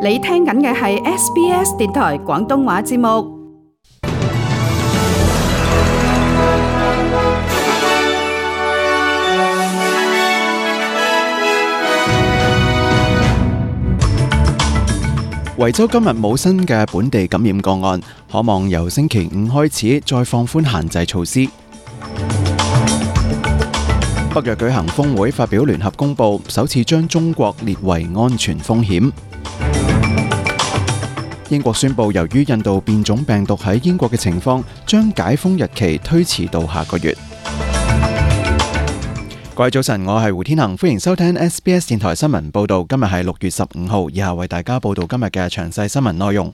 你聽緊嘅係 SBS 電台廣東話節目。維州今日冇新嘅本地感染個案，可望由星期五開始再放寬限制措施。北約舉行峰會，發表聯合公報，首次將中國列為安全風險。英國宣布，由於印度變種病毒喺英國嘅情況，將解封日期推遲到下個月。各位早晨，我係胡天恒，歡迎收聽 SBS 電台新聞報道。今日係6月15號，以下為大家報道今日嘅詳細新聞內容。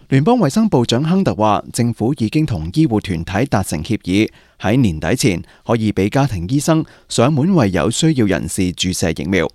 聯邦衛生部長亨特話，政府已經同醫護團體達成協議，喺年底前可以俾家庭醫生上門為有需要人士注射疫苗。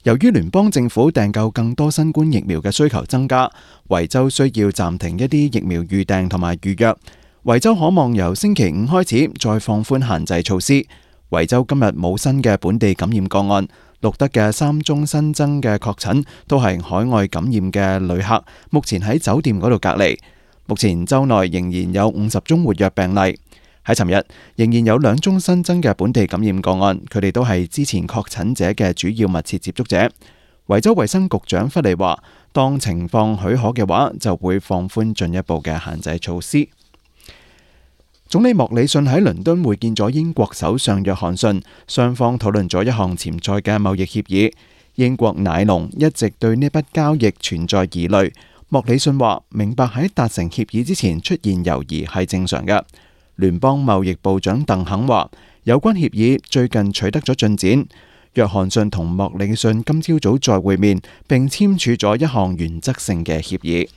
由於聯邦政府訂購更多新冠疫苗嘅需求增加，維州需要暫停一啲疫苗預訂同埋預約。維州可望由星期五開始再放寬限制措施。維州今日冇新嘅本地感染個案，錄得嘅3宗新增嘅確診都係海外感染嘅旅客，目前喺酒店嗰度隔離。目前州內仍然有50宗活躍病例。喺尋日仍然有2宗新增嘅本地感染個案，佢哋都係之前確診者嘅主要密切接觸者。維州衛生局長弗利話，當情況許可嘅話，就會放寬進一步嘅限制措施。總理莫里遜喺倫敦會見咗英國首相約翰遜，雙方討論咗一項潛在嘅貿易協議。英國奶農一直對呢筆交易存在疑慮。莫里遜話，明白喺達成協議之前出現猶豫係正常嘅。聯邦貿易部長鄧肯話，有關協議最近取得咗進展。約翰遜同莫里遜今朝早再會面，並簽署咗一項原則性嘅協議。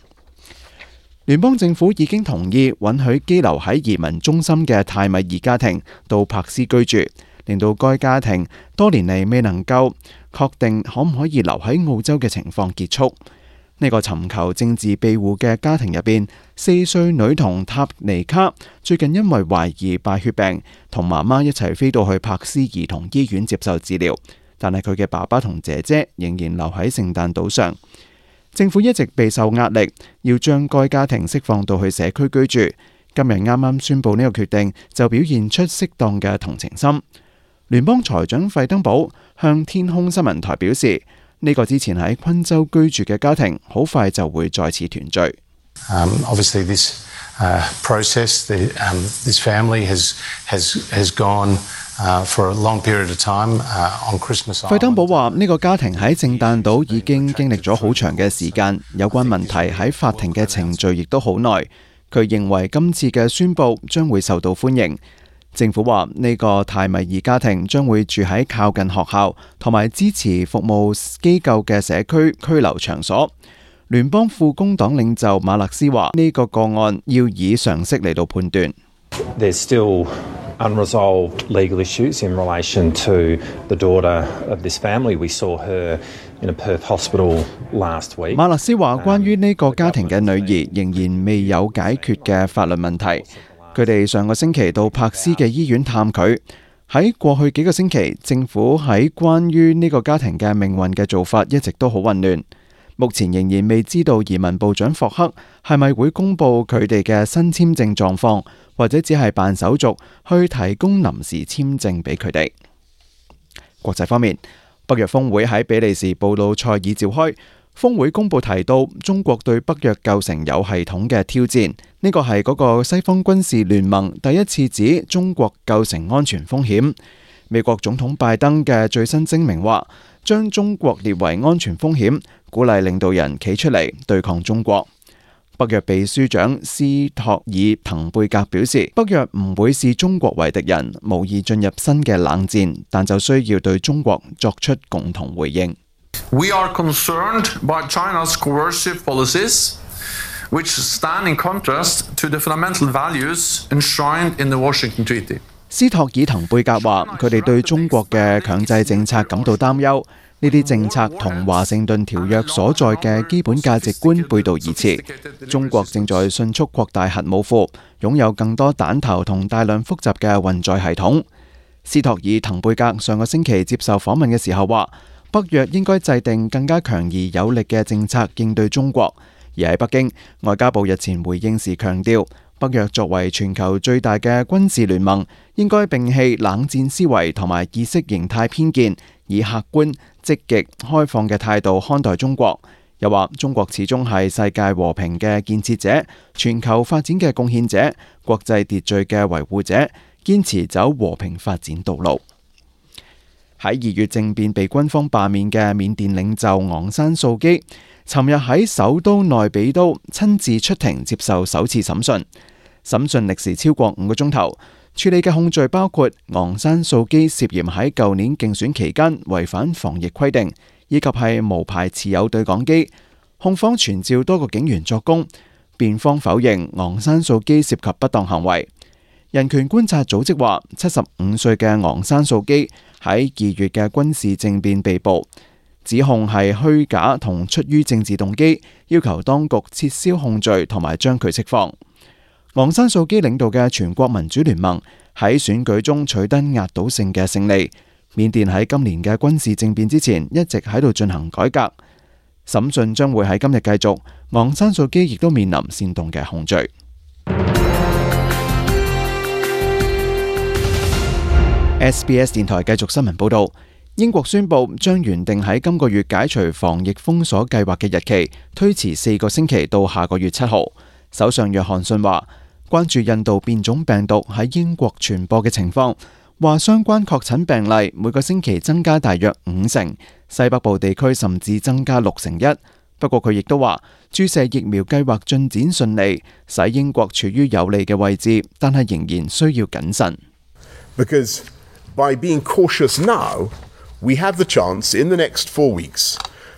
聯邦政府已經同意允許羈留喺移民中心嘅泰米爾家庭到柏斯居住，令到該家庭多年嚟未能夠確定可唔可以留喺澳洲嘅情況結束。呢個尋求政治庇護嘅家庭入邊，4歲女童塔尼卡最近因為懷疑敗血病，同媽媽一齊飛到去柏斯兒童醫院接受治療，但係佢嘅爸爸同姐姐仍然留喺聖誕島上。政府一直備受壓力，要將該家庭釋放到去社區居住。今日啱啱宣布呢個決定，就表現出適當嘅同情心。聯邦財長費登堡向天空新聞台表示，呢個之前喺昆州居住嘅家庭，好快就會再次團聚。Obviously, this process, this family has gone for a long period of time on Christmas Island. 費登堡話：呢個家庭喺聖誕島已經經歷咗好長嘅時間，有關問題喺法庭嘅程序亦都好耐。佢認為今次嘅宣佈將會受到歡迎。政府話呢個泰米爾家庭將會住喺靠近學校同埋支持服務機構嘅社區拘留場所。聯邦副工黨領袖馬勒斯話：呢個個案要以常識嚟到判斷。There's still unresolved legal issues in relation to the daughter of this family. We saw her in a Perth hospital last week. 馬勒斯話：關於呢個家庭嘅女兒仍然未有解決嘅法律問題。佢哋上個星期到柏斯嘅醫院探佢。喺過去幾個星期，政府喺關於呢個家庭嘅命運嘅做法一直都好混亂。目前仍然未知道移民部長霍克係咪會公布佢哋嘅新簽證狀況，或者只係辦手續去提供臨時簽證俾佢哋。國際方面，北約峰會喺比利時布魯塞爾召開。峰會公佈提到，中國對北約構成有系統嘅挑戰。呢個係嗰個西方軍事聯盟第一次指中國構成安全風險。美國總統拜登嘅最新聲明話，將中國列為安全風險，鼓勵領導人企出嚟對抗中國。北約秘書長斯托爾滕貝格表示，北約唔會視中國為敵人，無意進入新嘅冷戰，但就需要對中國作出共同回應。We are concerned by China's coercive policies, which stand in contrast to the fundamental values enshrined in the Washington Treaty. 斯托爾滕貝格話：佢哋對中國嘅強制政策感到擔憂，呢啲政策同華盛頓條約所在嘅基本價值觀背道而馳。中國正在迅速擴大核武庫，擁有更多彈頭同大量複雜嘅運載系統。斯托爾滕貝格上個星期接受訪問嘅時候話：北約應該制定更加強而有力嘅政策應對中國。而喺北京，外交部日前回應時強調，北約作為全球最大嘅軍事聯盟，應該摒棄冷戰思維同埋意識形態偏見，以客觀、積極、開放嘅態度看待中國。又話中國始終係世界和平嘅建設者、全球發展嘅貢獻者、國際秩序嘅維護者，堅持走和平發展道路。喺2月政變被軍方罷免嘅緬甸領袖昂山素基，尋日喺首都內比都親自出庭接受首次審訊。審訊歷時超過5個鐘頭，處理嘅控罪包括昂山素基涉嫌喺舊年競選期間違反防疫規定，以及係無牌持有對講機。控方傳召多個警員作供，辯方否認昂山素基涉及不當行為。人權觀察組織話，75歲嘅昂山素基喺2月嘅軍事政變被捕，指控係虛假同出於政治動機，要求當局撤銷控罪同埋將佢釋放。昂山素基領導嘅全國民主聯盟喺選舉中取得壓倒性嘅勝利。緬甸喺今年嘅軍事政變之前一直喺度進行改革。審訊將會喺今日繼續，昂山素基亦都面臨煽動嘅控罪。SBS 電台繼續新聞報道，英國宣布將原定喺今個月解除防疫封鎖計劃嘅日期推遲4個星期到下個月7號。首相約翰遜話，關注印度變種病毒喺英國傳播嘅情況，話相關確診病例每個星期增加大約5成，西北部地區甚至增加61%。不過佢亦都話，注射疫苗計劃進展順利，使英國處於有利嘅位置，但係仍然需要謹慎。Because by being cautious now, we have the chance in the next 4 weeks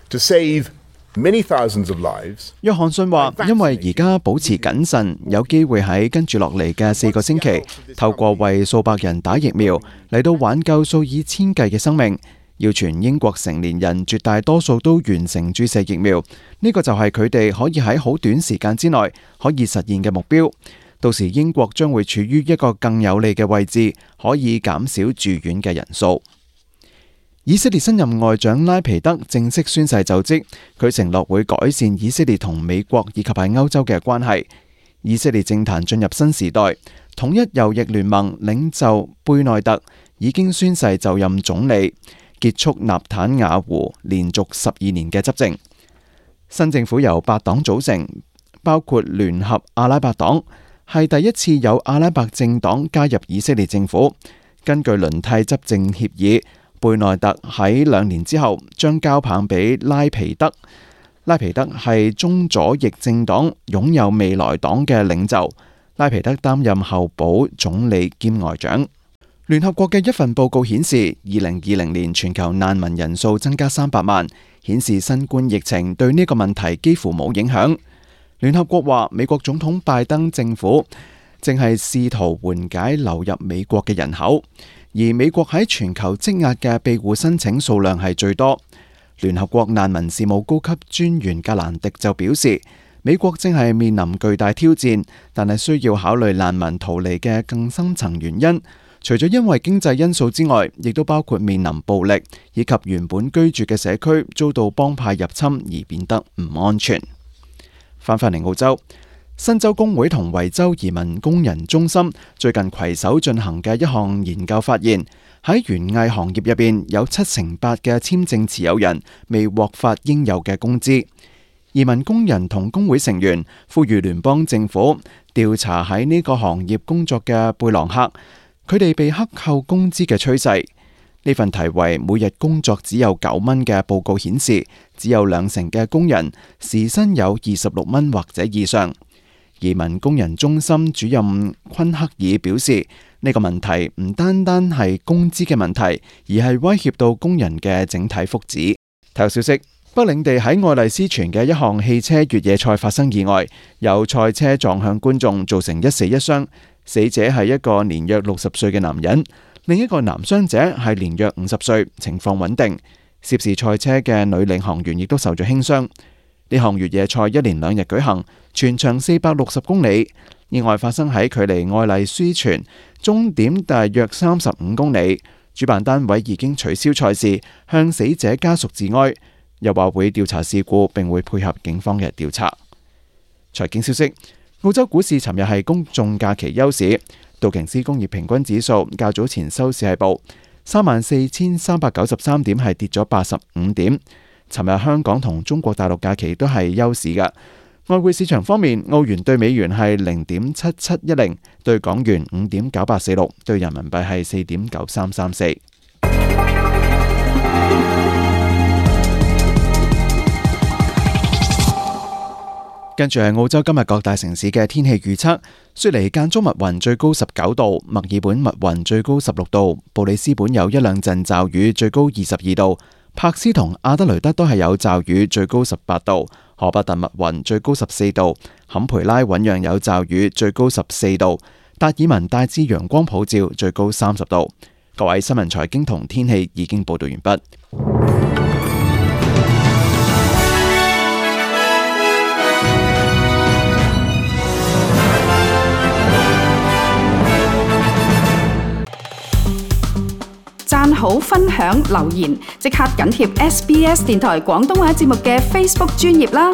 to save many thousands of lives. 約翰遜話，因為而家保持謹慎，有機會喺跟住落嚟嘅4個星期，透過為數百人打疫苗嚟到挽救數以千計嘅生命。要全英國成年人絕大多數都完成注射疫苗，呢個就係佢哋可以喺好短時間之內可以實現嘅目標。到時英國將會處於一個更有利嘅位置，可以減少住院嘅人數。以色列新任外長拉皮德正式宣誓就職，佢承諾會改善以色列同美國以及喺歐洲嘅關係。以色列政壇進入新時代，統一右翼聯盟領袖貝內特已經宣誓就任總理，結束納坦雅胡連續12年嘅執政。新政府由8黨組成，包括聯合阿拉伯黨，係第一次有阿拉伯政黨加入以色列政府。根據輪替執政協議，貝內特喺2年之後將交棒俾拉皮德。拉皮德係中左翼政黨擁有未來黨嘅領袖。拉皮德擔任候補總理兼外長。聯合國嘅一份報告顯示，2020年全球難民人數增加300萬，顯示新冠疫情對呢個問題幾乎冇影響。聯合國話，美國總統拜登政府正係試圖緩解流入美國嘅人口，而美國喺全球積壓嘅庇護申請數量係最多。聯合國難民事務高級專員格蘭迪就表示，美國正係面臨巨大挑戰，但係需要考慮難民逃離嘅更深層原因。除咗因為經濟因素之外，亦都包括面臨暴力，以及原本居住嘅社區遭到幫派入侵而變得唔安全。翻返嚟澳洲，新州工會同維州移民工人中心最近攜手進行嘅一項研究發現，喺園藝行業入邊有78%嘅簽證持有人未獲發應有嘅工資。移民工人同工會成員呼籲聯邦政府調查喺呢個行業工作嘅貝朗客，佢哋被克扣工資嘅趨勢。呢份題為每日工作只有9蚊嘅報告顯示，只有20%嘅工人時薪有26蚊或者以上。移民工人中心主任昆克爾表示，呢個問題唔單單係工資嘅問題，而係威脅到工人嘅整體福祉。體育消息，北領地喺愛麗絲泉嘅一項汽車越野賽發生意外，有賽車撞向觀眾，造成1死1傷。死者係一個年約60歲嘅男人，另一個男傷者係年約50歲，情況穩定。涉事賽車嘅女領航員亦都受咗輕傷。呢項越野賽1連2日舉行，全長460公里。意外發生喺距離愛麗絲泉終點大約35公里，主辦單位已經取消賽事，向死者家屬致哀，又話會調查事故並會配合警方嘅調查。財經消息，澳洲股市尋日係公眾假期休市，道瓊斯工業平均指數較早前收市係報34,393點，係跌咗85點。尋日香港同中國大陸假期都係休市嘅。外匯市場方面，澳元對美元係0.7710，對港元5.9846，對人民幣係4.9334。跟住係澳洲今日各大城市嘅天氣預測：雪梨間中密雲，最高19度；墨爾本密雲，最高16度；布里斯本有一兩陣驟雨，最高22度；柏斯同阿德雷德都係有驟雨，最高18度；荷伯特密雲，最高14度；坎培拉醞釀有驟雨，最高14度；達爾文大致陽光普照，最高30度。各位新聞財經同天氣已經報道完畢。讚好、分享、留言，即刻緊貼SBS 電台廣東話節目嘅 Facebook 專頁啦！